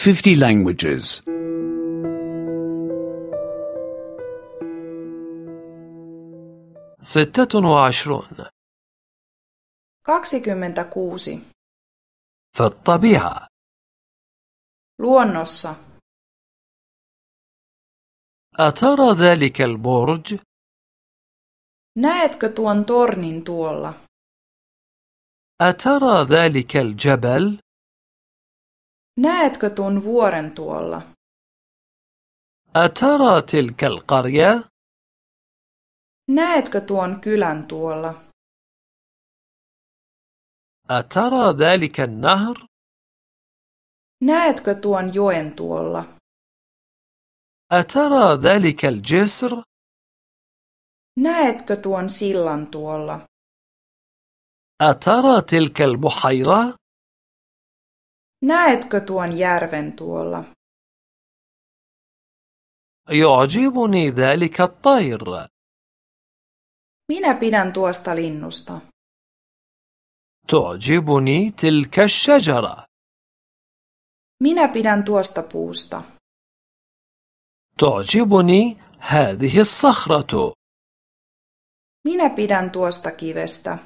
50 languages. 26. 26. في الطبيعة. Luonnossa. أترى ذلك البرج؟ Näetkö tuon tornin tuolla? أترى ذلك الجبل؟ Näetkö tuon vuoren tuolla? أترى تلك القرية؟ Näetkö tuon kylän tuolla? أترى ذلك النهر؟ Näetkö tuon joen tuolla? أترى ذلك الجسر؟ Näetkö tuon sillan tuolla? أترى تلك البحيرة؟ Näetkö tuon järven tuolla? يعجبني ذلك الطير. Minä pidän tuosta linnusta. تعجبني تلك الشجرة. Minä pidän tuosta puusta. تعجبني هذه الصخرة. Minä pidän tuosta kivestä.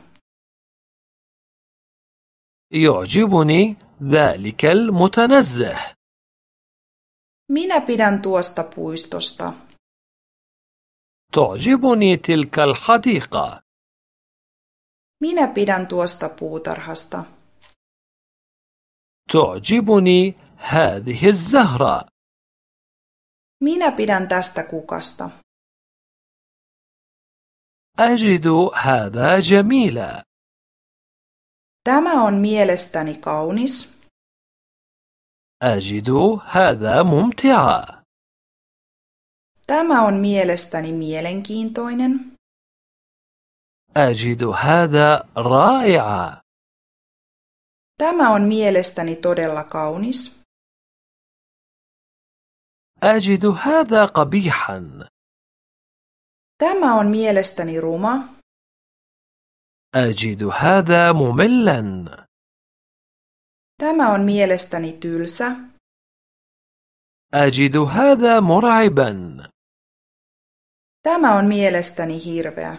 يعجبني ذلك المتنزه. Minä pidän tuosta puistosta. تعجبني تلك الحديقة. Minä pidän tuosta puutarhasta. تعجبني هذه الزهرة. Minä pidän tästä kukasta. أجد هذا جميلا. Tämä on mielestäni kaunis. أجد هذا ممتعا. Tämä on mielestäni mielenkiintoinen. أجد هذا رائعا. Tämä on mielestäni todella kaunis. أجد هذا قبيحا. Tämä on mielestäni ruma. أجد هذا مملا. Tämä on mielestäni tylsä. أجد هذا مرعبا. Tämä on mielestäni hirveä.